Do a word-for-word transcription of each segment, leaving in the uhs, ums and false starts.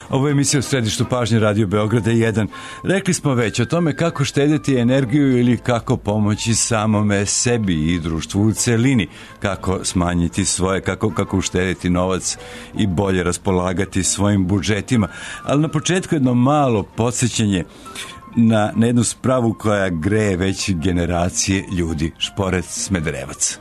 Ovo je emisija u središtu pažnje Radio Beograda jedan. Rekli smo već o tome kako štediti energiju ili kako pomoći samome sebi i društvu u celini, kako smanjiti svoje, kako, kako uštediti novac i bolje raspolagati svojim budžetima. Ali na početku jedno malo podsjećanje na, na jednu spravu koja greje već generacije ljudi, šporet Smederevac.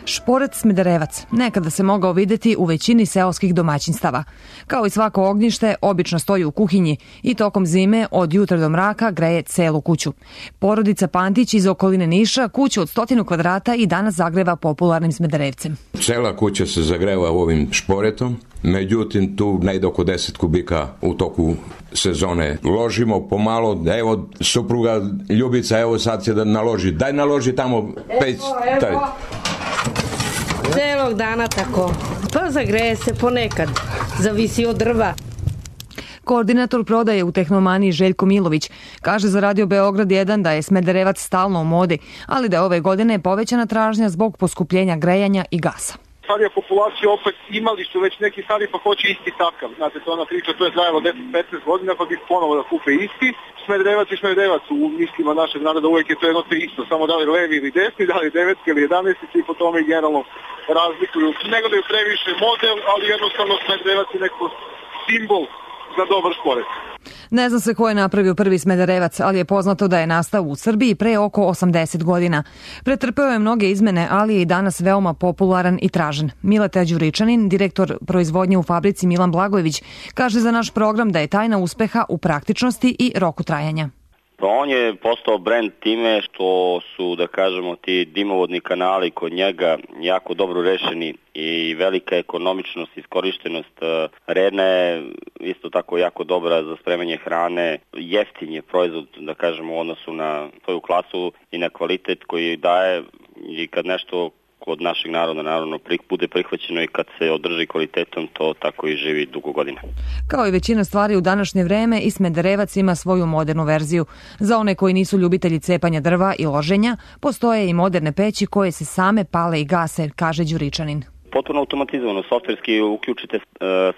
Šporet Smederevac nekada se mogao videti u većini seoskih domaćinstava. Kao i svako ognjište, obično stoji u kuhinji i tokom zime od jutra do mraka greje celu kuću. Porodica Pantić iz okoline Niša kuću od stotinu kvadrata i danas zagreva popularnim Smederevcem. Cela kuća se zagreva ovim šporetom, međutim tu najde oko deset kubika u toku sezone. Ložimo pomalo, evo supruga Ljubica, evo sad će da naloži, daj naloži tamo peć. Taj. Celog dana tako. Pa zagreje se ponekad. Zavisi od drva. Koordinator prodaje u Tehnomaniji Željko Milović kaže za Radio Beograd jedan da je Smederevac stalno u modi, ali da je ove godine povećana tražnja zbog poskupljenja grejanja i gasa. Starija populacija opet imali su već neki stari pa hoće isti takav. Znate, to ona priča, to je trajalo deset do petnaest godina pa bi ponovo da kupe isti. Smederevac i Smederevac u mislima našeg naroda uvijek je to jedno te isto, samo da li levi ili desni, da li devetski ili jedanaesti i po tome generalno razlikuju. Ne gledaju previše model, ali jednostavno Smederevac je neko simbol za dobar šporet. Ne zna se ko je napravio prvi Smederevac, ali je poznato da je nastao u Srbiji pre oko osamdeset godina. Pretrpeo je mnoge izmene, ali je i danas veoma popularan i tražen. Mileta Đuričanin, direktor proizvodnje u fabrici Milan Blagojević, kaže za naš program da je tajna uspeha u praktičnosti i roku trajanja. Pa on je postao brend time što su, da kažemo, ti dimovodni kanali kod njega jako dobro rešeni i velika ekonomičnost, iskorištenost redna je isto tako jako dobra za spremanje hrane. Jeftin je proizvod, da kažemo, u odnosu na svoju klasu i na kvalitet koji daje i kad nešto kod našeg naroda naravno bude prihvaćeno i kad se održi kvalitetom, to tako i živi dugo godina. Kao i većina stvari u današnje vreme, i Smederevac ima svoju modernu verziju. Za one koji nisu ljubitelji cepanja drva i loženja, postoje i moderne peći koje se same pale i gase, kaže Đuričanin. Potpuno automatizovano, softverski uključite, e,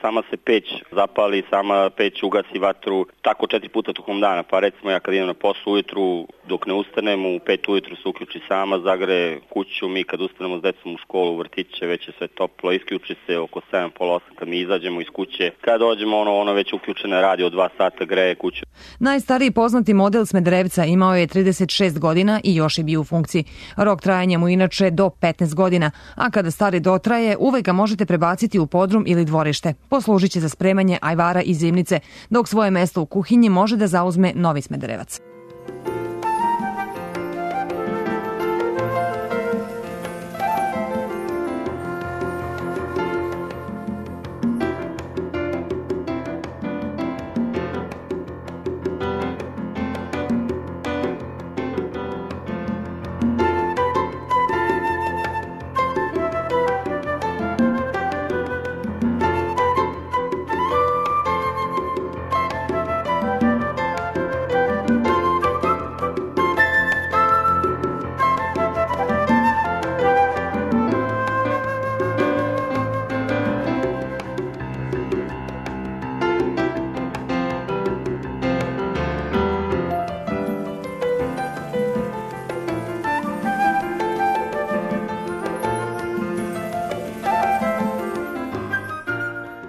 sama se peć zapali, sama peć ugasi vatru, tako četiri puta tokom dana. Pa recimo ja kad idem na poslu ujutru, dok ne ustanem, u pet ujutru se uključi sama, zagreje kuću, mi kad ustanemo s decom u školu, u vrtiće, već je sve toplo, isključi se oko sedam, pola osam kad mi izađemo iz kuće. Kad dođemo, ono, ono već uključene radi od dva sata, greje kuću. Najstariji poznati model Smederevca imao je trideset šest godina i još je bio u funkciji. Rok trajanja mu inače do petnaest godina, a kada stari dotraje, uvek ga možete prebaciti u podrum ili dvorište. Poslužit će za spremanje ajvara i zimnice, dok svoje mesto u kuhinji može da zauzme novi Smederevac.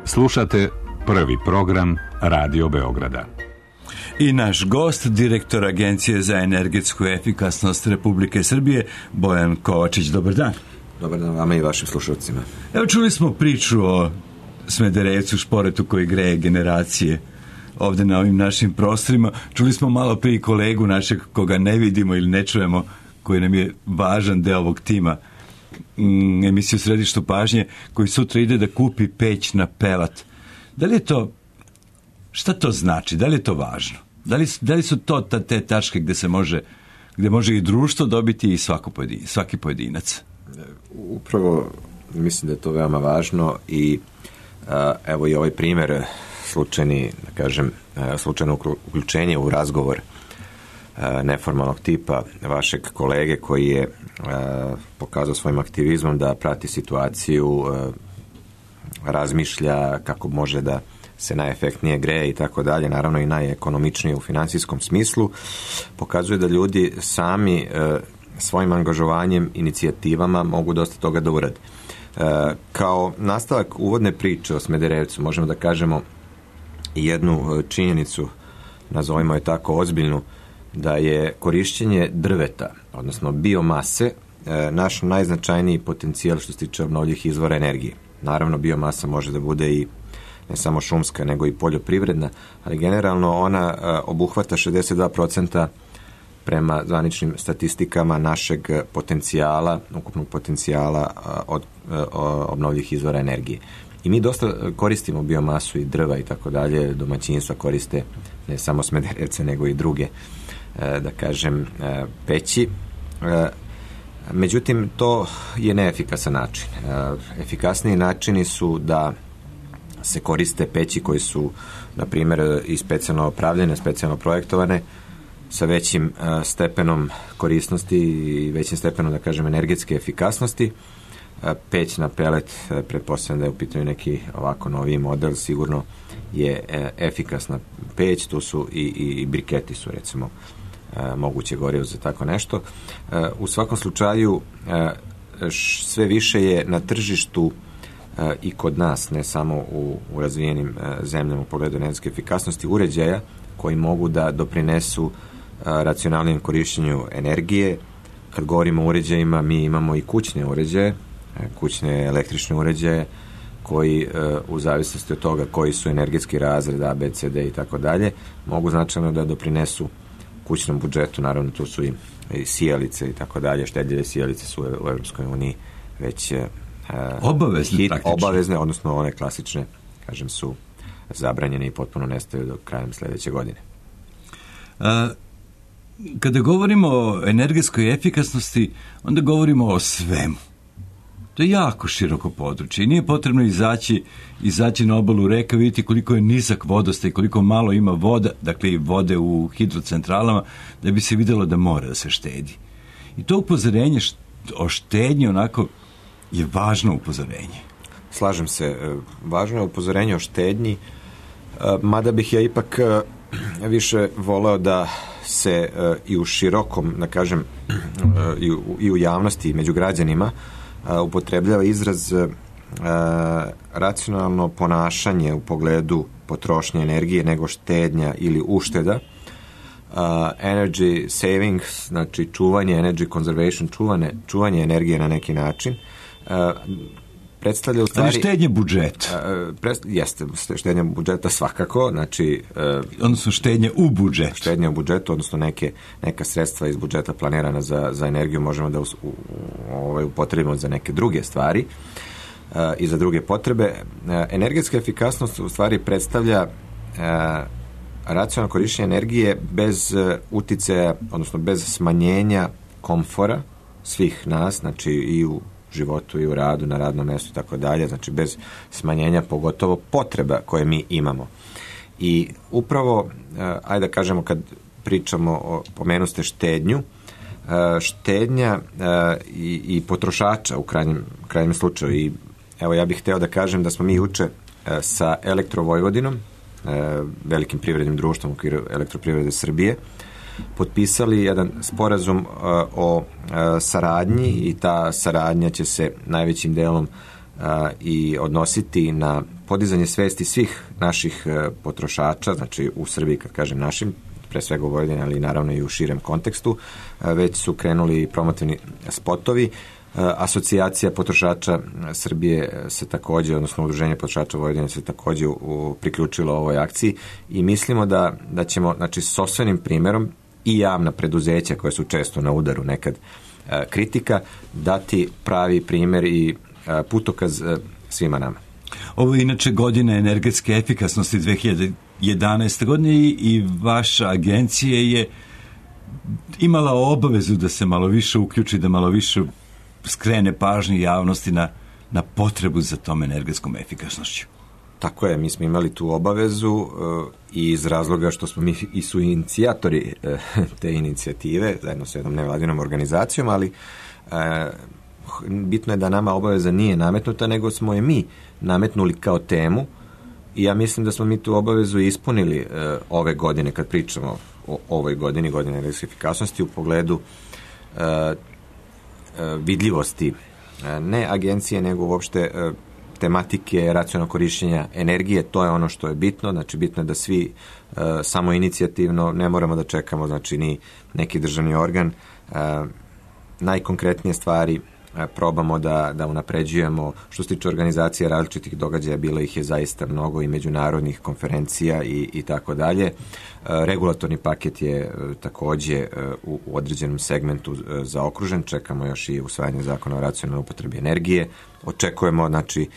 Slušate prvi program Radio Beograda. I naš gost, direktor Agencije za energetsku efikasnost Republike Srbije, Bojan Kovačić. Dobar dan. Dobar dan vama i vašim slušalcima. Evo, čuli smo priču o Smederevcu, šporetu koji greje generacije ovde na ovim našim prostorima. Čuli smo malo prije kolegu našeg koga ne vidimo ili ne čujemo, koji nam je važan deo ovog tima mm, emisiju Središtu pažnje, koji sutra ide da kupi peć na pelat. Da li je to, šta to znači? Da li je to važno? Da li, da li su to ta, te tačke gde se može, gde može i društvo dobiti i svako pojedin, svaki pojedinac? Upravo mislim da je to veoma važno i a, evo i ovaj primjer slučajni, da kažem, slučajno uključenje u razgovor a, neformalnog tipa vašeg kolege koji je a, pokazao svojim aktivizmom da prati situaciju, a, razmišlja kako može da se najefektnije greje i tako dalje, naravno i najekonomičnije u financijskom smislu, pokazuje da ljudi sami e, svojim angažovanjem, inicijativama mogu dosta toga da urade. E, kao nastavak uvodne priče o Smederevcu možemo da kažemo jednu činjenicu, nazovimo je tako ozbiljnu, da je korišćenje drveta, odnosno biomase, e, naš najznačajniji potencijal što se tiče obnovljivih izvora energije. Naravno, biomasa može da bude i ne samo šumska, nego i poljoprivredna, ali generalno ona e, obuhvata šezdeset dva procenta prema zvaničnim statistikama našeg potencijala, ukupnog potencijala od obnovljivih izvora energije. I mi dosta koristimo biomasu i drva i tako dalje, domaćinstva koriste ne samo Smederevce, nego i druge, da kažem, peći. Međutim, to je neefikasan način. Efikasniji načini su da se koriste peći koji su, na primjer, i specijalno opravljene, specijalno projektovane, sa većim uh, stepenom korisnosti i većim stepenom, da kažem, energetske efikasnosti. Uh, peć na pelet, uh, pretpostavljam da je u pitanju neki ovako noviji model, sigurno je uh, efikasna peć, tu su i, i, i briketi su, recimo, uh, moguće gorivo za tako nešto. Uh, u svakom slučaju, uh, š, sve više je na tržištu uh, i kod nas, ne samo u, u razvijenim uh, zemljama u pogledu energetske efikasnosti, uređaja koji mogu da doprinesu racionalnijem korišćenju energije. Kad govorimo o uređajima, mi imamo i kućne uređaje, kućne električne uređaje koji u zavisnosti od toga koji su energetski razred A, B, C, D i tako dalje, mogu značajno da doprinesu kućnom budžetu. Naravno, tu su i, i sijalice i tako dalje, štedljive sijalice su u Evropskoj uniji već obavezne, hit, praktično. Obavezne, odnosno one klasične, kažem, su zabranjene i potpuno nestaju do krajem sljedeće godine. A, kada govorimo o energetskoj efikasnosti, onda govorimo o svemu. To je jako široko područje i nije potrebno izaći, izaći na obalu reka, vidjeti koliko je nizak vodostaj, koliko malo ima voda, dakle i vode u hidrocentralama, da bi se vidjelo da mora da se štedi. I to upozorenje o štednji onako je važno upozorenje. Slažem se, važno je upozorenje o štednji, mada bih ja ipak više voleo da se i u širokom, da kažem, i u, i u javnosti i među građanima upotrebljava izraz racionalno ponašanje u pogledu potrošnje energije nego štednja ili ušteda. Energy savings, znači čuvanje, energy conservation, čuvanje, čuvanje energije na neki način, predstavlja u stvari... Ali štednje budžeta. Prest, jeste, štednje budžeta svakako, znači... Odnosno štednje u budžetu. Štednje u budžetu, odnosno neke, neka sredstva iz budžeta planirana za, za energiju možemo da us, u, ovaj, upotrebimo za neke druge stvari uh, i za druge potrebe. Uh, energetska efikasnost u stvari predstavlja uh, racionalno korištenje energije bez uh, uticaja, odnosno bez smanjenja komfora svih nas, znači i u životu i u radu, na radnom mjestu i tako dalje, znači bez smanjenja pogotovo potreba koje mi imamo. I upravo, ajde da kažemo, kad pričamo o, pomenu ste štednju, štednja i, i potrošača u krajnjem, krajnjem slučaju. I evo, ja bih hteo da kažem da smo mi juče sa Elektrovojvodinom, velikim privrednim društvom u okviru Elektroprivrede Srbije, potpisali jedan sporazum uh, o uh, saradnji i ta saradnja će se najvećim delom uh, i odnositi na podizanje svesti svih naših uh, potrošača, znači u Srbiji, kad kažem našim, pre svega u Vojvodini, ali naravno i u širem kontekstu. Uh, već su krenuli promotivni spotovi. Uh, Asocijacija potrošača Srbije se takođe, odnosno Udruženje potrošača Vojvodine se takođe u, u, priključilo ovoj akciji i mislimo da, da ćemo, znači, s sopstvenim primerom i javna preduzeća koja su često na udaru nekad e, kritika, dati pravi primer i e, putokaz e, svima nama. Ovo je inače godina energetske efikasnosti dve hiljade jedanaeste. godine i, i vaša agencija je imala obavezu da se malo više uključi, da malo više skrene pažnje javnosti na, na potrebu za tom energetskom efikasnošću. Tako je, mi smo imali tu obavezu uh, i iz razloga što smo mi i su inicijatori uh, te inicijative, zajedno sa jednom nevladinom organizacijom, ali uh, bitno je da nama obaveza nije nametnuta, nego smo je mi nametnuli kao temu I ja mislim da smo mi tu obavezu ispunili uh, ove godine, kad pričamo o ovoj godini, godine energetske efikasnosti, u pogledu uh, uh, vidljivosti uh, ne agencije, nego uopšte uh, tematike racionalnog korišćenja energije. To je ono što je bitno, znači bitno je da svi uh, samo inicijativno, ne moramo da čekamo, znači ni neki državni organ, uh, najkonkretnije stvari probamo da, da unapređujemo. Što se tiče organizacije različitih događaja, bilo ih je zaista mnogo i međunarodnih konferencija i, i tako dalje. Regulatorni paket je takođe u, u određenom segmentu zaokružen. Čekamo još i usvajanje zakona o racionalnoj upotrebi energije. Očekujemo, znači,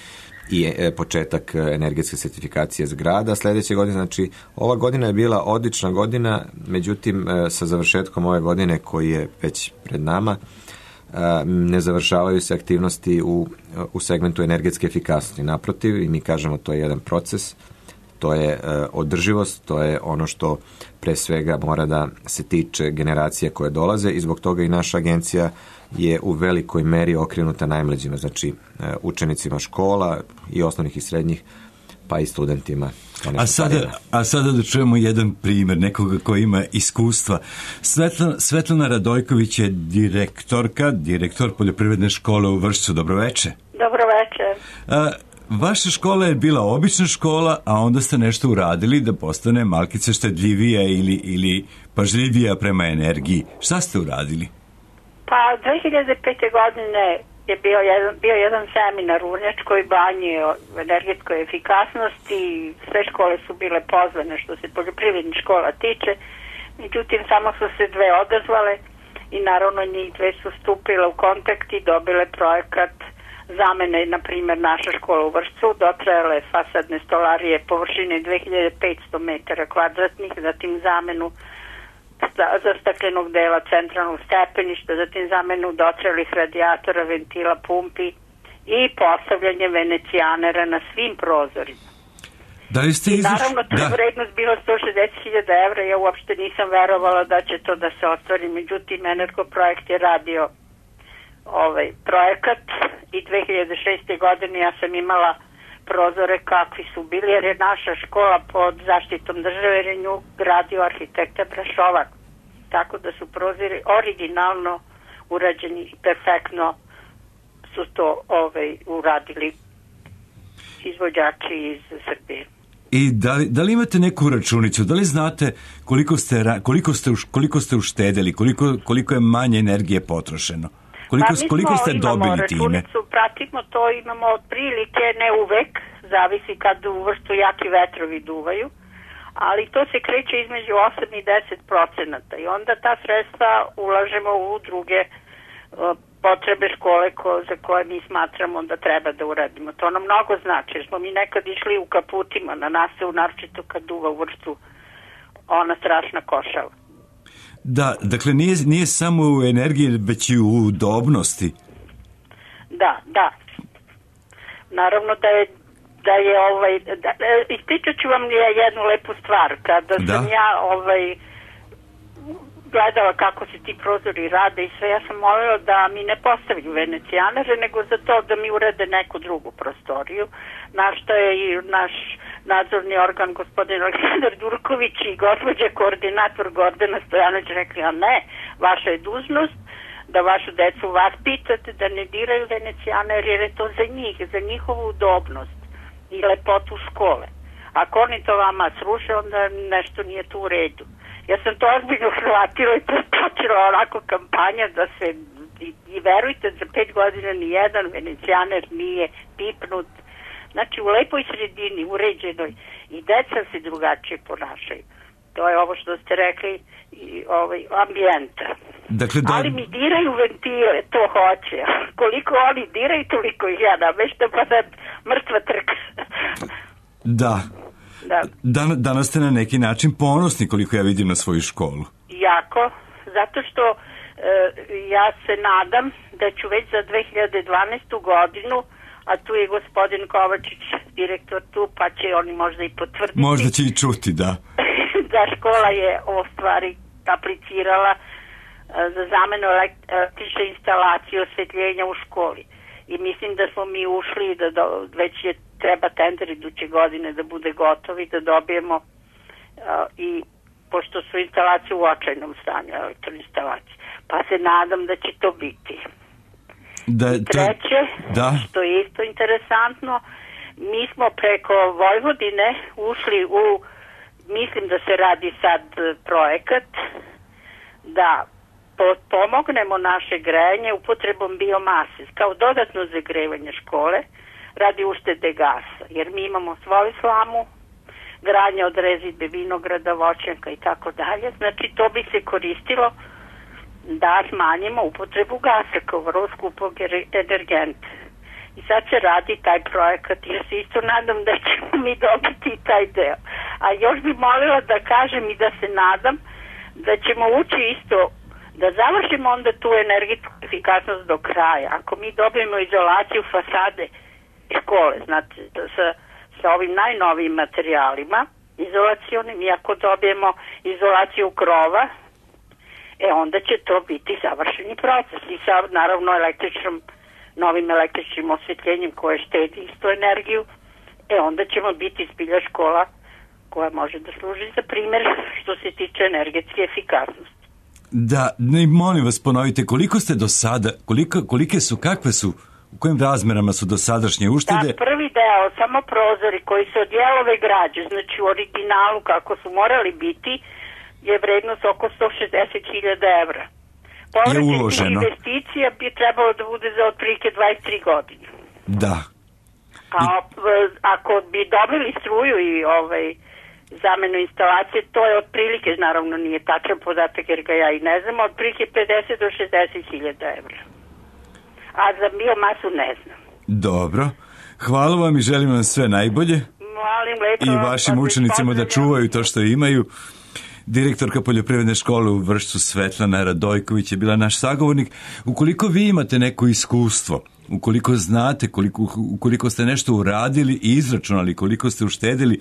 i početak energetske sertifikacije zgrada. Sljedeće godine, znači, ova godina je bila odlična godina, međutim, sa završetkom ove godine koji je već pred nama, ne završavaju se aktivnosti u, u segmentu energetske efikasnosti. Naprotiv, i mi kažemo to je jedan proces, to je uh, održivost, to je ono što pre svega mora da se tiče generacije koje dolaze i zbog toga i naša agencija je u velikoj meri okrenuta najmlađima, znači uh, učenicima škola i osnovnih i srednjih, pa i studentima. A sada, a sada da čujemo jedan primjer nekoga koji ima iskustva. Svetlana, Svetlana Radojković je direktorka, direktor poljoprivredne škole u Vršcu. Dobroveče. Dobroveče. A, vaša škola je bila obična škola, a onda ste nešto uradili da postane malkice štedljivija ili, ili pažljivija prema energiji. Šta ste uradili? Pa dve hiljade pete. godine je bio jedan, bio jedan seminar u Vrnjačkoj banji o energetskoj efikasnosti. Sve škole su bile pozvane što se poljoprivrednih škola tiče. Međutim, samo su se dve odazvale i naravno njih dve su stupile u kontakt i dobile projekat zamene, na primjer, naša škola u Vršcu, dotrajale fasadne stolarije površine dve hiljade petsto metara kvadratnih, zatim zamenu za staklenog dela centralnog stepeništa, zatim zamenu dotrelih radijatora, ventila, pumpi i postavljanje venecijanera na svim prozorima. Da li ste I izaš... naravno, to je vrednost bila sto šezdeset hiljada evra, ja uopšte nisam verovala da će to da se ostvari, međutim, Energoprojekt je radio ovaj projekat i dve hiljade šeste. godine ja sam imala prozore kakvi su bili, jer je naša škola pod zaštitom države, jer je nju gradio arhitekta Brašovac. Tako da su prozori originalno urađeni i perfektno su to ovaj, uradili izvođači iz Srbije. I da li, da li imate neku računicu? Da li znate koliko ste, koliko ste, koliko ste uštedeli, koliko, koliko je manje energije potrošeno? Koliko, pa koliko ste dobili time? Pratimo to, imamo otprilike, ne uvek, zavisi kad u Vršcu jaki vetrovi duvaju, ali to se kreće između osam i deset procenata i onda ta sredstva ulažemo u druge uh, potrebe škole ko, za koje mi smatramo da treba da uradimo. To nam mnogo znači, jer smo mi nekad išli u kaputima na nastavu, naročito kad duva u Vršcu ona strašna košava. Da, dakle nije, nije samo u energiji, već i u udobnosti. Da, da. Naravno da je da je ovaj da, ispričat ću vam jednu lepu stvar. Kada da. sam ja ovaj gledala kako se ti prozori rade i sve, ja sam molila da mi ne postavljaju venecijanere, nego za to da mi urede neku drugu prostoriju, na što je i naš nadzorni organ gospodin Aleksandar Durković i gospođa koordinator Gordana Stojanović rekli, a ne, vaša je dužnost da vašu decu vaspitate, da ne diraju venecijaner, jer je to za njih, za njihovu udobnost i lepotu škole. Ako oni to vama sruše, onda nešto nije tu u redu. Ja sam to ozbiljno shvatila i to počela onako kampanja da se, i, i verujte, za pet godina ni jedan venecijaner nije pipnut. Znači u lepoj sredini, uređenoj, i deca se drugačije ponašaju. To je ovo što ste rekli, i ovaj ambijenta. Dakle, da... Ali mi diraju ventile, to hoće. Koliko oni diraju, toliko ih ja nameštam, pa sad mrtva trka. Da. Da. Dan, danas ste na neki način ponosni, koliko ja vidim, na svoju školu. Jako, zato što e, ja se nadam da ću već za dve hiljade dvanaestu. godinu, a tu je gospodin Kovačić, direktor tu, pa će oni možda i potvrditi. Možda će i čuti, da. Da škola je o stvari aplicirala e, za zamenu električne instalacije osvetljenja u školi. I mislim da smo mi ušli, da do, već je treba tender iduće godine da bude gotovi, da dobijemo uh, i pošto su instalacije u očajnom stanju, elektroinstalacije. Pa se nadam da će to biti. Da, I treće, da. što je isto interesantno, mi smo preko Vojvodine ušli u, mislim da se radi sad projekat, da pomognemo naše grejanje upotrebom biomase kao dodatno zagrevanje škole radi uštede gasa, jer mi imamo svoju slamu, granje od rezidbe vinograda, voćnjaka i tako dalje, znači to bi se koristilo da smanjimo upotrebu gasa kao vrlo skupog energenta. I sad se radi taj projekat i ja se isto nadam da ćemo mi dobiti taj deo. A još bi molila da kažem i da se nadam da ćemo ući isto, da završimo onda tu energetsku efikasnost do kraja. Ako mi dobijemo izolaciju fasade škole, znači sa, sa ovim najnovijim materijalima izolacionim, i ako dobijemo izolaciju krova, e onda će to biti završeni proces i sa naravno električnom, novim električnim osvetljenjem koje štedi isto energiju, e onda ćemo biti zbilja škola koja može da služi za primjer što se tiče energetske efikasnosti. Da, ne, molim vas ponovite, koliko ste do sada, koliko, kolike su, kakve su, u kojim razmerama su do sadašnje uštede? Da, prvi deo, samo prozori koji se od jelove građe, znači u originalu kako su morali biti, je vrednost oko sto šezdeset hiljada evra. Povraćaj investicija bi trebalo da bude za otprilike dvadeset tri godine. Da. A ako bi dobili struju i ovaj zamenu instalacije, to je otprilike, naravno nije tačan podatak jer ga ja i ne znam, otprilike pedeset do šezdeset hiljada evra. A za biomasu ne znam. Dobro. Hvala vam i želim vam sve najbolje. Molim lepo. I vašim učenicima da čuvaju to što imaju. Direktorka poljoprivredne škole u Vršcu Svetlana Radojković je bila naš sagovornik. Ukoliko vi imate neko iskustvo, ukoliko znate, koliko, ukoliko ste nešto uradili i izračunali, koliko ste uštedili,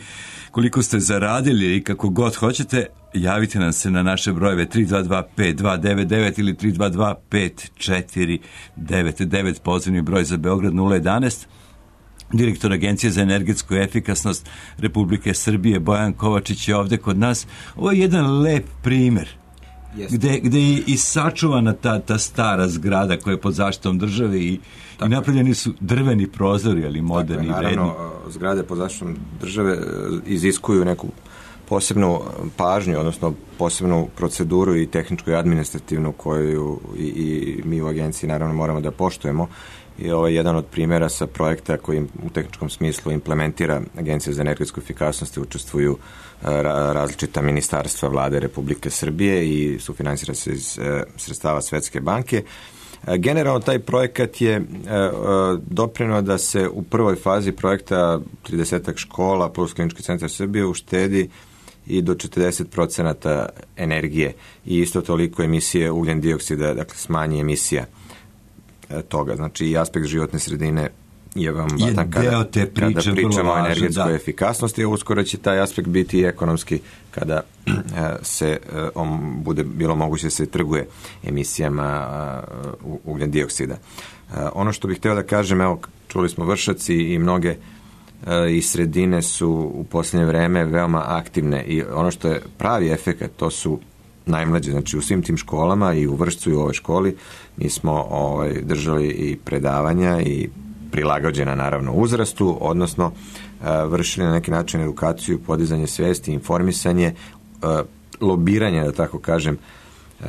koliko ste zaradili i kako god hoćete, javite nam se na naše brojeve tri dva dva pet dva devet devet ili tri dva dva pet četiri devet devet, pozivni broj za Beograd nula jedanaest. Direktor Agencije za energetsku efikasnost Republike Srbije Bojan Kovačić je ovde kod nas. Ovo je jedan lep primer gde, gde je i sačuvana ta, ta stara zgrada koja je pod zaštitom države i, i napravljeni su drveni prozori, ali moderni i vredni. Naravno, zgrade pod zaštitom države iziskuju neku posebnu pažnju, odnosno posebnu proceduru i tehničku i administrativnu koju i, i mi u agenciji naravno moramo da poštujemo. I ovo je jedan od primjera sa projekta koji u tehničkom smislu implementira Agencija za energetsku efikasnost i učestvuju različita ministarstva vlade Republike Srbije i sufinansira se iz sredstava Svetske banke. Generalno taj projekat je doprineo da se u prvoj fazi projekta tridesetak škola plus Klinički centar Srbije uštedi i do četrdeset procenata energije i isto toliko emisije ugljen dioksida, dakle smanji emisija toga. Znači i aspekt životne sredine je vam vatan kada, kada pričamo o energetskoj da. efikasnosti, a uskoro će taj aspekt biti i ekonomski kada se on bude bilo moguće da se trguje emisijama ugljen dioksida. Ono što bih hteo da kažem, evo čuli smo Vršac i mnoge i sredine su u posljednje vreme veoma aktivne i ono što je pravi efekat to su najmlađe, znači u svim tim školama i u Vršcu i u ovoj školi mi smo ovaj, držali i predavanja i prilagođena naravno uzrastu, odnosno uh, vršili na neki način edukaciju, podizanje svesti, informisanje, uh, lobiranje, da tako kažem, uh,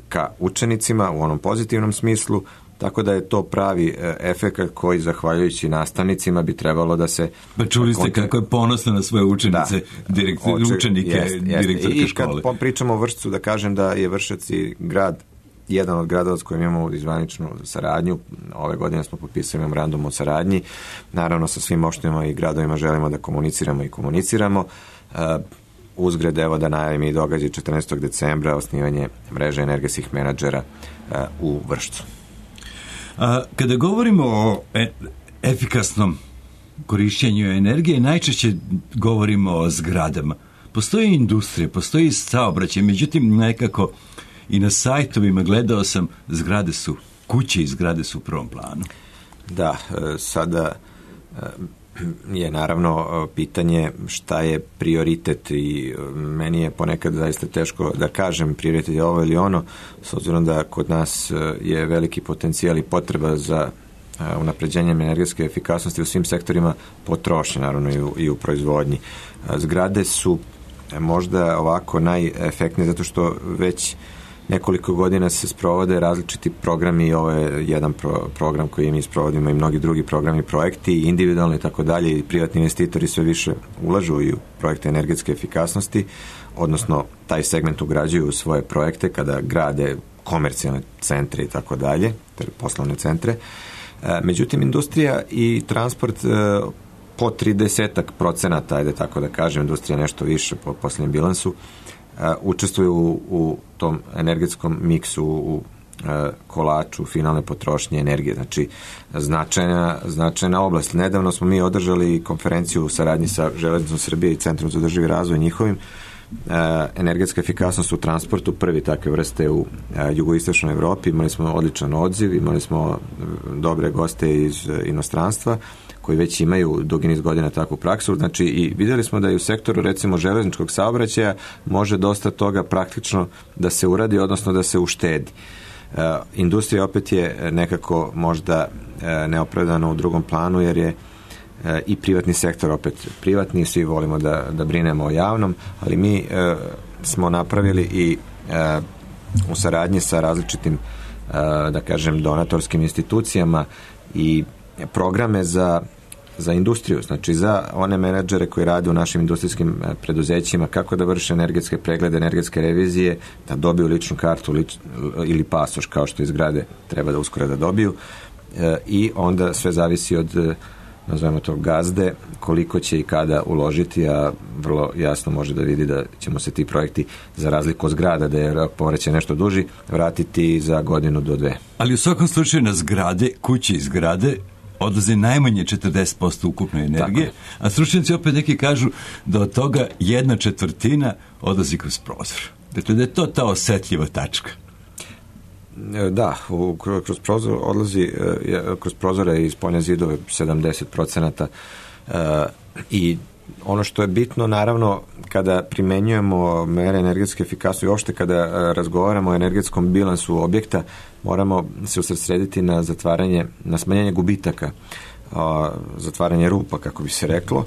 ka učenicima u onom pozitivnom smislu, tako da je to pravi uh, efekat koji, zahvaljujući nastavnicima, bi trebalo da se... Pa čuli ste konti... kako je ponosna na svoje učenice, da, direkt, oče, učenike jest, direktorke jest. škole. I kad pričamo o Vršcu, da kažem da je Vršac i grad jedan od gradova s kojim imamo izvaničnu saradnju. Ove godine smo potpisali memorandum o saradnji. Naravno, sa svim opštinama i gradovima želimo da komuniciramo i komuniciramo. Uh, uzgred, evo da najavim i događaj četrnaestog decembra osnivanje mreže energetskih menadžera uh, u Vršcu. A, kada govorimo o e, efikasnom korišćenju energije, najčešće govorimo o zgradama. Postoji industrija, postoji saobraćaj, međutim nekako i na sajtovima gledao sam, zgrade su, kuće i zgrade su u prvom planu. Da, sada je naravno pitanje šta je prioritet i meni je ponekad zaista teško da kažem prioritet je ovo ili ono, s obzirom da kod nas je veliki potencijal i potreba za unapređenjem energetske efikasnosti u svim sektorima potrošnje, naravno i u, i u proizvodnji. Zgrade su možda ovako najefektnije zato što već nekoliko godina se sprovode različiti programi, ovo je jedan pro, program koji mi sprovodimo i mnogi drugi programi, projekti, individualni i tako dalje, i privatni investitori sve više ulažu i u projekte energetske efikasnosti, odnosno taj segment ugrađuju u svoje projekte kada grade komercijalne centre i tako dalje, poslovne centre. Međutim, industrija i transport po tridesetak procenata, ajde tako da kažem, industrija nešto više po posljednjem bilansu, učestvuju u, u tom energetskom miksu, u kolaču finalne potrošnje energije. Znači, značajna, značajna oblast. Nedavno smo mi održali konferenciju u saradnji sa Železnicom Srbije i Centrom za održivi razvoj njihovim. Energetska efikasnost u transportu, prvi takve vrste u jugoistočnoj Evropi. Imali smo odličan odziv, imali smo dobre goste iz inostranstva koji već imaju dugi niz godina takvu praksu. Znači, i vidjeli smo da i u sektoru, recimo, železničkog saobraćaja može dosta toga praktično da se uradi, odnosno da se uštedi. E, industrija opet je nekako možda e, neopravdana u drugom planu, jer je e, i privatni sektor opet privatni, svi volimo da, da brinemo o javnom, ali mi e, smo napravili i e, u saradnji sa različitim, e, da kažem, donatorskim institucijama i programe za za industriju, znači za one menadžere koji rade u našim industrijskim preduzećima, kako da vrše energetske preglede, energetske revizije, da dobiju ličnu kartu lič, ili pasoš, kao što iz zgrade treba da uskoro da dobiju, e, i onda sve zavisi od, nazvajmo to, gazde, koliko će i kada uložiti, a vrlo jasno može da vidi da ćemo se ti projekti, za razliku od zgrada, da je rok povraćaja nešto duži, vratiti za godinu do dve. Ali u svakom slučaju na zgrade, kući i zgrade, odlazi najmanje četrdeset posto ukupne energije, a stručnjaci opet neki kažu da od toga jedna četvrtina odlazi kroz prozor. Dakle, da je to ta osetljiva tačka. Da, u, kroz prozor odlazi, kroz prozore i spoljne zidove sedamdeset procenata i ono što je bitno, naravno, kada primenjujemo mere energetske efikasnosti i uopšte kada razgovaramo o energetskom bilansu objekta, moramo se usredsrediti na zatvaranje, na smanjenje gubitaka, zatvaranje rupa, kako bi se reklo.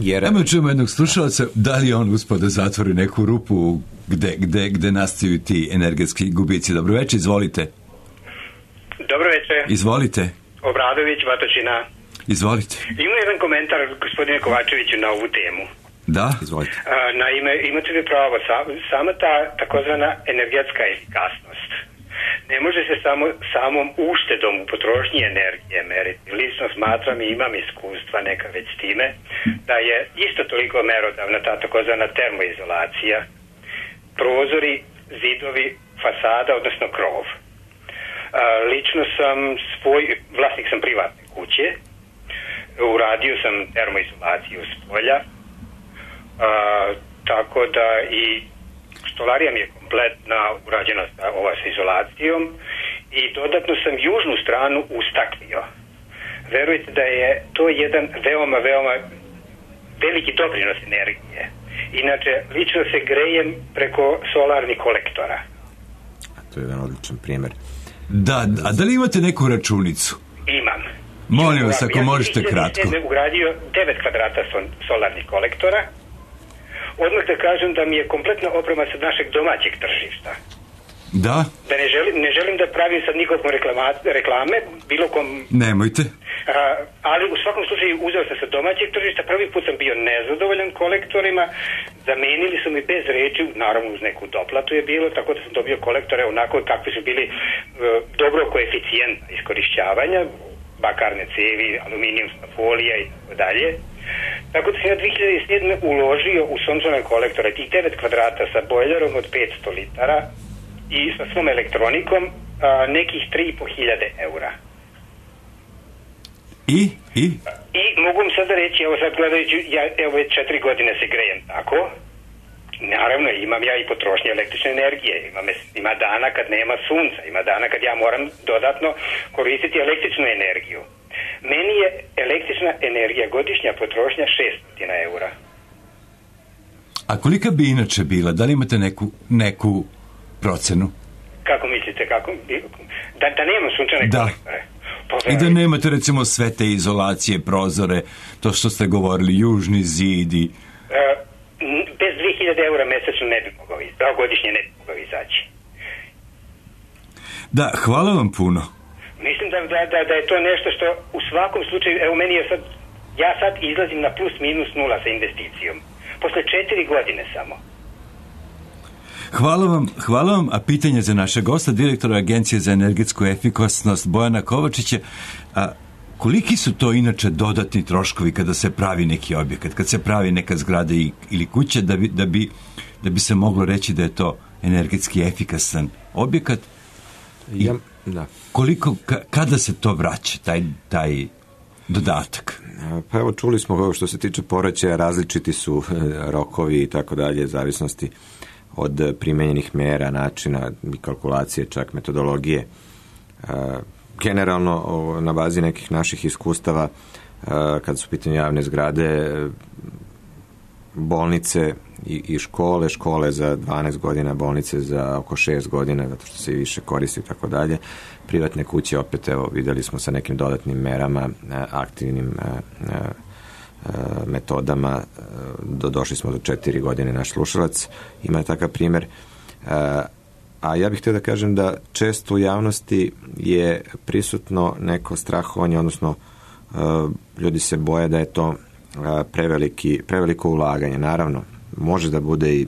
Jer... Ajmo čujemo jednog slušalca, da li on uspio da zatvori neku rupu gde, gde, gde nastaju ti energetski gubici. Dobro večer, izvolite. Dobro večer. Izvolite. Obradović, Batočina. Izvolite. Imam jedan komentar, gospodine Kovačeviću, na ovu temu. Da, izvolite. Naime, imate li pravo, sama ta takozvana energetska efikasnost ne može se samo samom uštedom u potrošnji energije meriti. Lično smatram i imam iskustva neka već s time, da je isto toliko merodavna ta takozvana termoizolacija, prozori, zidovi, fasada, odnosno krov. Lično sam svoj, vlasnik sam privatne kuće, uradio sam termoizolaciju s polja, a, tako da i stolarija mi je kompletna urađena sa, ova sa izolacijom i dodatno sam južnu stranu ustaklio. Verujte da je to jedan veoma, veoma veliki doprinos energije. Inače, lično se grejem preko solarnih kolektora. A to je jedan odličan primjer. Da, a da li imate neku računicu? Imam. Molim vas, ako ja možete kratko. Ja sam ugradio devet kvadrata solarnih kolektora. Odmah da kažem da mi je kompletna oprema sa našeg domaćeg tržišta. Da? Da ne želim, ne želim da pravim sad nikakvom reklame, bilo kom... Nemojte. A, ali u svakom slučaju uzeo sam sa domaćeg tržišta, prvi put sam bio nezadovoljan kolektorima, zamenili su mi bez reči, naravno uz neku doplatu je bilo, tako da sam dobio kolektore onako kakvi su bili uh, dobro koeficijentna iskorišćavanja, bakarne cevi, aluminijumska folija i tako dalje. Tako da sam ja dve hiljade sedme uložio u sončane kolektore tih devet kvadrata sa bojlerom od petsto litara i sa svom elektronikom a, nekih tri i po hiljade eura. I? I? I mogu vam sada reći, evo sad gledajući, ja evo već četiri godine se grejem tako. Naravno, imam ja i potrošnje električne energije. Ima, ima dana kad nema sunca, ima dana kad ja moram dodatno koristiti električnu energiju. Meni je električna energija godišnja potrošnja šesto eura. A kolika bi inače bila? Da li imate neku, neku procenu? Kako mislite? Kako? Da, da nema sunčane da. kolektore? Pa, I da nemate recimo sve te izolacije, prozore, to što ste govorili, južni zidi. E, bez dve hiljade eura mesečno ne bi mogao izaći, godišnje ne bi mogao izaći. Da, hvala vam puno. Mislim da, da, da, da je to nešto što u svakom slučaju, evo meni je sad, ja sad izlazim na plus minus nula sa investicijom. Posle četiri godine samo. Hvala vam, hvala vam, a pitanje za naše gosta, direktora Agencije za energetsku efikasnost Bojana Kovačića, a koliki su to inače dodatni troškovi kada se pravi neki objekat, kad se pravi neka zgrada i, ili kuća, da bi, da, bi, da bi se moglo reći da je to energetski efikasan objekat? I ja, da. Koliko, ka, kada se to vraća, taj, taj dodatak? Pa evo, čuli smo što se tiče povraćaja, različiti su rokovi i tako dalje, zavisnosti od primenjenih mera, načina i kalkulacije, čak metodologije. Generalno, na bazi nekih naših iskustava, kad su pitanje javne zgrade, bolnice i škole, škole za dvanaest godina, bolnice za oko šest godina, zato što se i više koristi i tako dalje. Privatne kuće, opet, evo, vidjeli smo sa nekim dodatnim merama, aktivnim metodama, do, došli smo do četiri godine, naš slušalac ima takav primjer. A ja bih htio da kažem da često u javnosti je prisutno neko strahovanje, odnosno ljudi se boje da je to preveliki, preveliko ulaganje. Naravno, može da bude i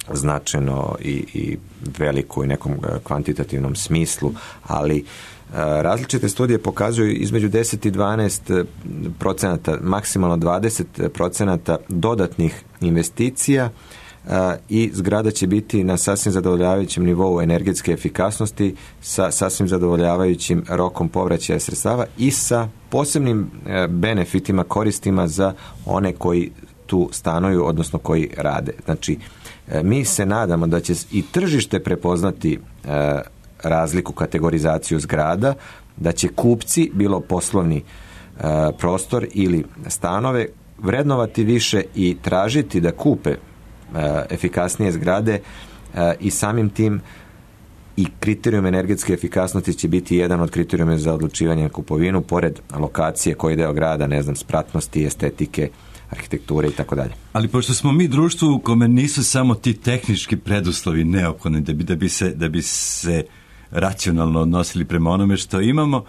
značajno i, i veliko i nekom kvantitativnom smislu, ali različite studije pokazuju između deset i dvanaest procenata, maksimalno dvadeset procenata dodatnih investicija i zgrada će biti na sasvim zadovoljavajućem nivou energetske efikasnosti sa sasvim zadovoljavajućim rokom povraćaja sredstava i sa posebnim benefitima, koristima za one koji tu stanuju, odnosno koji rade. Znači, mi se nadamo da će i tržište prepoznati razliku, kategorizaciju zgrada, da će kupci, bilo poslovni prostor ili stanove, vrednovati više i tražiti da kupe efikasnije zgrade i samim tim i kriterijum energetske efikasnosti će biti jedan od kriterijuma za odlučivanje na kupovinu, pored lokacije, koji deo grada, ne znam, spratnosti, estetike, arhitekture i tako dalje. Ali pošto smo mi društvo u kome nisu samo ti tehnički preduslovi neophodni da bi, da bi se, da bi se racionalno odnosili prema onome što imamo,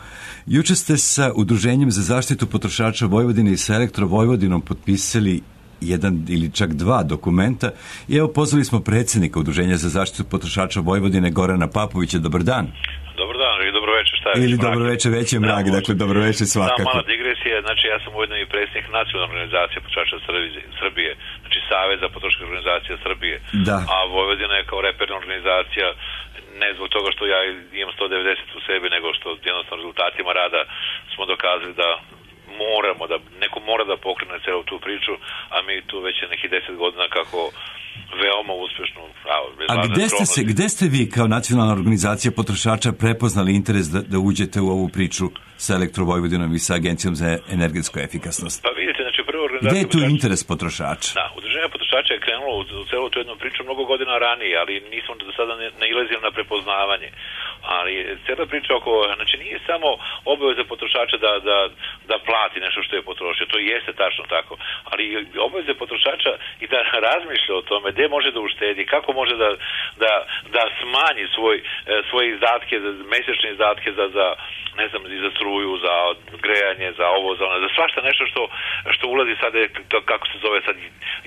juče ste sa Udruženjem za zaštitu potrošača Vojvodine i sa Elektro Vojvodinom potpisali jedan ili čak dva dokumenta i evo pozvali smo predsjednika Udruženja za zaštitu potrošača Vojvodine Gorana Papovića. Dobar dan. Dobar dan ili dobro večer, šta je? Ili dobro večer, već je mrak, da, dakle dobro večer svakako. Da, mala digresija, znači ja sam ujedno i predsjednik Nacionalne organizacije potrošača Srbije, znači Savez za potrošačke organizacije Srbije, da. A Vojvodina je kao reperna organizacija, ne zbog toga što ja imam sto devedeset u sebi, nego što jednostavno rezultatima rada smo dokazali da moramo, da neko mora da pokrene celu tu priču, a mi tu već je nekih deset godina kako veoma uspješno. A gde ste, se, gde ste vi kao nacionalna organizacija potrošača prepoznali interes da, da uđete u ovu priču sa Elektro Vojvodinom i sa Agencijom za energetsku efikasnost? Pa vidite, znači prvo organizacija... Gde je tu interes potrošača? Da, udruženje potrošača je krenulo u, u celu tu jednu priču mnogo godina ranije, ali nismo do sada ne, nailazili na prepoznavanje. Ali cijela priča oko, znači nije samo obaveza potrošača da, da, da plati nešto što je potrošio, to jeste tačno tako, ali obaveza potrošača i da razmišlja o tome gdje može da uštedi, kako može da, da, da smanji svoj, svoje izdatke, mesečne izdatke za, za ne znam, za struju, za grejanje, za ovo, za ono, za svašta nešto što, što ulazi sad, kako se zove sad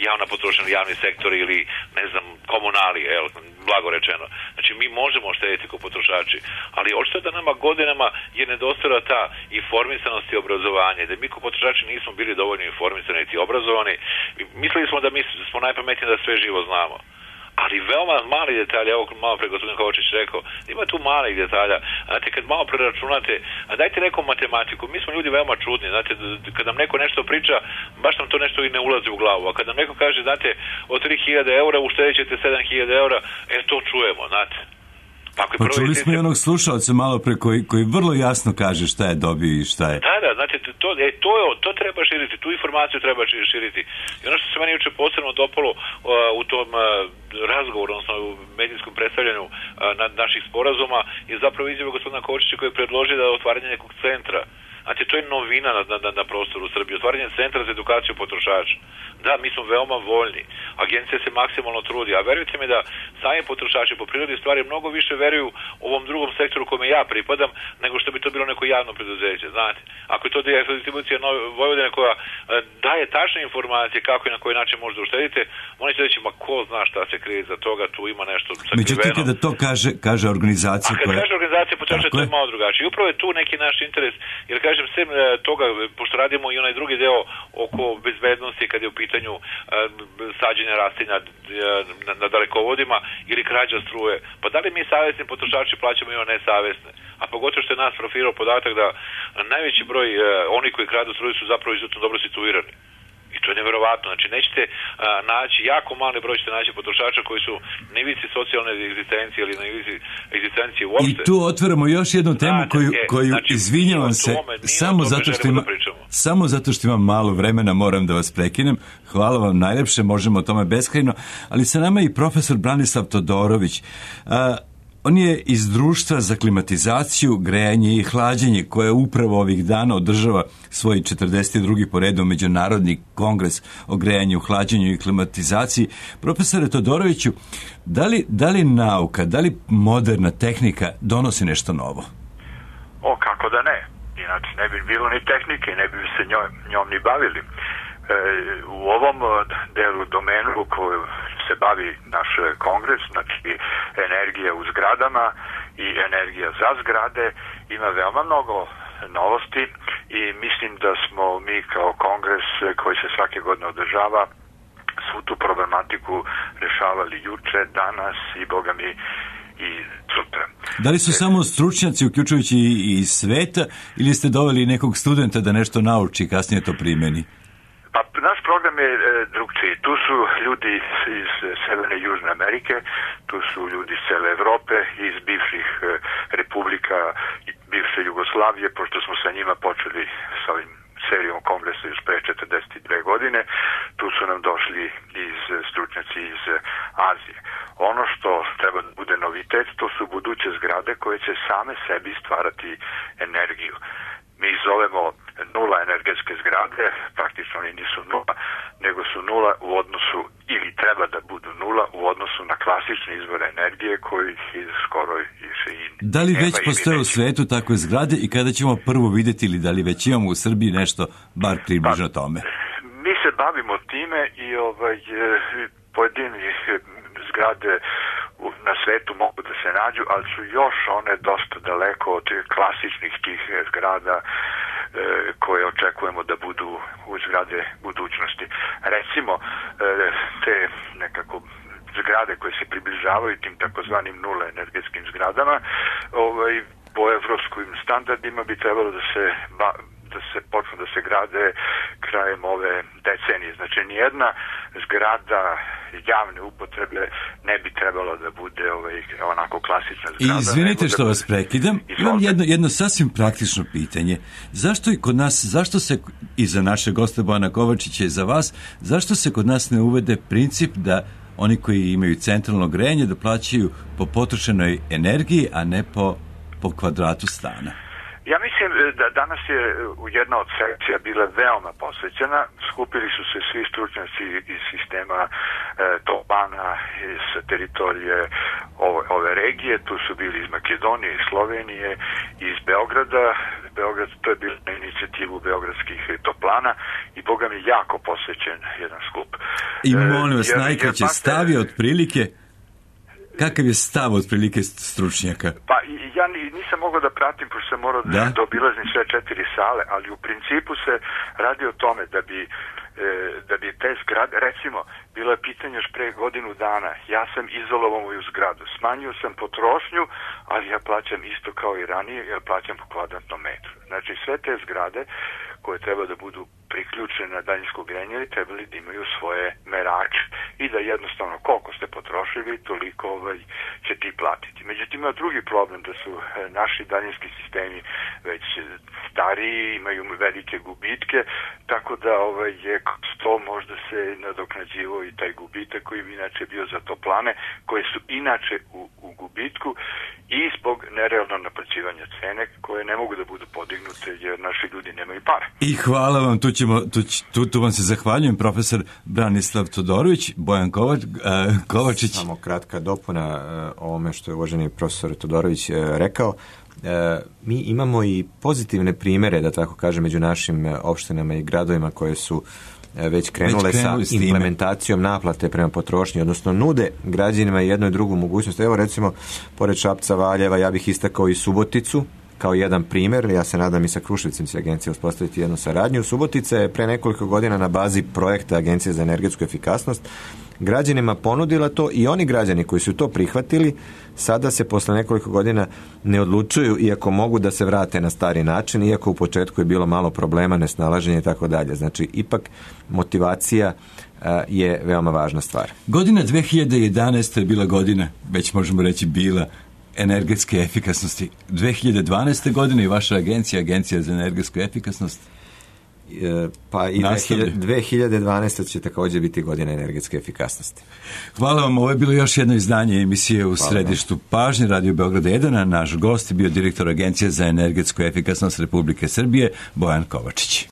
javna potrošnja, javni sektor ili ne znam, komunali, el, blago rečeno. Znači mi možemo štediti kao potrošači, ali očito da nama godinama je nedostajala ta informisanost i obrazovanje, da mi kao potrošači nismo bili dovoljno informisani i obrazovani. Mislili smo da mi smo najpametniji da sve živo znamo. Ali veoma mali detalji, evo malo pre gospodin Kovačić rekao, ima tu malih detalja. Znate, kad malo preračunate, a dajte nekom matematiku, mi smo ljudi veoma čudni, znate, kad nam neko nešto priča, baš nam to nešto i ne ulazi u glavu, a kad nam neko kaže, znate, od tri hiljade eura uštedit ćete sedam hiljada eura, e, to čujemo, znate. Pa, ako je pa prvo čuli smo i sistem... onog slušalca malo pre koji, koji vrlo jasno kaže šta je dobio i šta je. Da, da, znači to, e, to, je, to treba širiti, tu informaciju treba širiti. I ono što se meni juče posebno dopalo uh, u tom uh, razgovoru, odnosno u medijskom predstavljanju uh, na, naših sporazuma, je zapravo izjava gospodina Kovačića koji je predložio da otvaranje nekog centra. Znači, to je novina na, na, na prostoru Srbije. Otvaranje centra za edukaciju potrošača. Da, mi smo veoma voljni. Agencija se maksimalno trudi. A verujte mi da sami potrošači po prirodi stvari mnogo više veruju ovom drugom sektoru kome ja pripadam, nego što bi to bilo neko javno preduzeće. Znate, ako je to distribucija Vojvodine koja e, daje tačne informacije kako i na koji način možete uštedite, oni će reći, ma ko zna šta se krije za toga, tu ima nešto sakriveno. Međutim, kada to kaže, kaže organizacija koja... A kad koja... kaže organizacija potrošača, to je malo drugačije. I upravo je tu neki naš interes, jer kažem, sem toga, pošto radimo i onaj drugi deo oko bezbednosti kad je u pitanju uh, sađenja rastinja na, na dalekovodima ili krađa struje. Pa da li mi savjesni potrošači plaćamo i one nesavjesne? A pogotovo što je nas profilirao podatak da najveći broj uh, oni koji kradu struju su zapravo izuzetno dobro situirani. I to je neverovatno. Znači, nećete a, naći, jako mali broj ćete naći potrošača koji su na ivici socijalne egzistencije ili na ivici egzistencije uopšte. I tu otvaramo još jednu temu znači, koju, koju znači, izvinjavam se, tome, samo zato, što ima, samo zato što imam malo vremena, moram da vas prekinem. Hvala vam najlepše, možemo o tome beskrajno, ali sa nama je i profesor Branislav Todorović. A, On je iz društva za klimatizaciju, grejanje i hlađenje, koje upravo ovih dana održava svoj četrdeset drugi po redu Međunarodni kongres o grejanju, hlađenju i klimatizaciji. Profesore Todoroviću, da li, da li nauka, da li moderna tehnika donosi nešto novo? O, kako da ne. Inače ne bi bilo ni tehnike, ne bi se njom, njom ni bavili. E, u ovom delu domenu koju se bavi naš kongres, znači energija u zgradama i energija za zgrade, ima veoma mnogo novosti i mislim da smo mi kao kongres koji se svake godine održava svu tu problematiku rešavali juče, danas i boga mi i sutra. Da li su e, samo stručnjaci, uključujući i iz sveta, ili ste doveli nekog studenta da nešto nauči i kasnije to primeni? Pa naš program je e, drugčiji. Tu su ljudi iz, iz Severne i Južne Amerike, tu su ljudi iz cele Evrope, iz bivših e, republika, bivše Jugoslavije, pošto smo sa njima počeli sa ovim serijom kongresa još pre četrdeset dve godine, tu su nam došli iz stručnjaci iz Azije. Ono što treba da bude novitet, to su buduće zgrade koje će same sebi stvarati energiju. Mi ih zovemo nula energetske zgrade, praktično oni nisu nula, nego su nula u odnosu, ili treba da budu nula u odnosu na klasične izvore energije koji ih skoro više i da li već postoje u svetu takve zgrade i kada ćemo prvo vidjeti, ili da li već imamo u Srbiji nešto bar približno tome? Mi se bavimo time i ovaj, pojedini zgrade na svetu mogu da se nađu, ali su još one dosta daleko od klasičnih tih zgrada e, koje očekujemo da budu u zgrade budućnosti. Recimo, e, te nekako zgrade koje se približavaju tim takozvanim nula energetskim zgradama, ovaj, po evropskim standardima bi trebalo da se ba, da se počnu da se grade krajem ove decenije. Znači, nijedna zgrada javne upotrebe ne bi trebalo da bude ovaj, onako klasična zgrada. I izvinite što da vas prekidam, imam jedno, jedno sasvim praktično pitanje. Zašto i kod nas, zašto se, i za naše goste Bojana Kovačića i za vas, zašto se kod nas ne uvede princip da oni koji imaju centralno grejanje da plaćaju po potrošenoj energiji, a ne po, po kvadratu stana? Ja mislim da danas je jedna od sekcija bila veoma posvećena. Skupili su se svi stručnjaci iz sistema e, Topana, iz teritorije ove, ove regije. Tu su bili iz Makedonije, iz Slovenije, iz Beograda. Beograd, to je bilo na inicijativu beogradskih toplana i boga mi jako posvećen jedan skup. I molim vas, e, najkraće stavi otprilike. Kakav je stav otprilike stručnjaka? Pa ja nisam mogao da pratim, pošto sam morao da, da obilazim sve četiri sale, ali u principu se radi o tome da bi, e, da bi te zgrade, recimo, bilo je pitanje još pre godinu dana, ja sam izolovao moju zgradu, smanjio sam potrošnju, ali ja plaćam isto kao i ranije, jer plaćam po kvadratnom metru. Znači, sve te zgrade koje treba da budu priključene na daljinsko grejanje trebali da imaju svoje merače i da jednostavno koliko ste potrošili, toliko ovaj, će ti platiti. Međutim, ima drugi problem da su naši daljinski sistemi već stariji, imaju velike gubitke, tako da ovaj, je to možda se nadoknađivo i taj gubitak koji bi inače bio za toplane, koje su inače u, u gubitku i zbog nerealnog naplaćivanja cene koje ne mogu da budu podignute jer naši ljudi nemaju para. I hvala vam, tu, ćemo, tu, tu, tu vam se zahvaljujem, profesor Branislav Todorović, Bojan Kovač, uh, Kovačić. Samo kratka dopuna uh, ovome što je uvaženi profesor Todorović uh, rekao. Uh, mi imamo i pozitivne primere, da tako kažem, među našim uh, opštinama i gradovima koje su već krenule već sa implementacijom naplate prema potrošnji, odnosno nude građanima jednu i drugu mogućnost. Evo recimo, pored Šapca, Valjeva, ja bih istakao i Suboticu kao jedan primjer. Ja se nadam i sa Kruševicom će agencija uspostaviti jednu saradnju. Subotica je pre nekoliko godina na bazi projekta Agencije za energetsku efikasnost građanima ponudila to i oni građani koji su to prihvatili sada se posle nekoliko godina ne odlučuju, iako mogu da se vrate na stari način, iako u početku je bilo malo problema, nesnalaženja i tako dalje. Znači, ipak motivacija a, je veoma važna stvar. Godina dve hiljade jedanaesta je bila godina, već možemo reći bila, energetske efikasnosti. dve hiljade dvanaeste. godine i vaša agencija, Agencija za energetsku efikasnost, pa i dve hiljade dvanaesta. će također biti godina energetske efikasnosti. Hvala vam, ovo je bilo još jedno izdanje emisije u Hvala središtu pažnje Radio Beograda jedan, a naš gost je bio direktor Agencije za energetsku efikasnost Republike Srbije, Bojan Kovačić.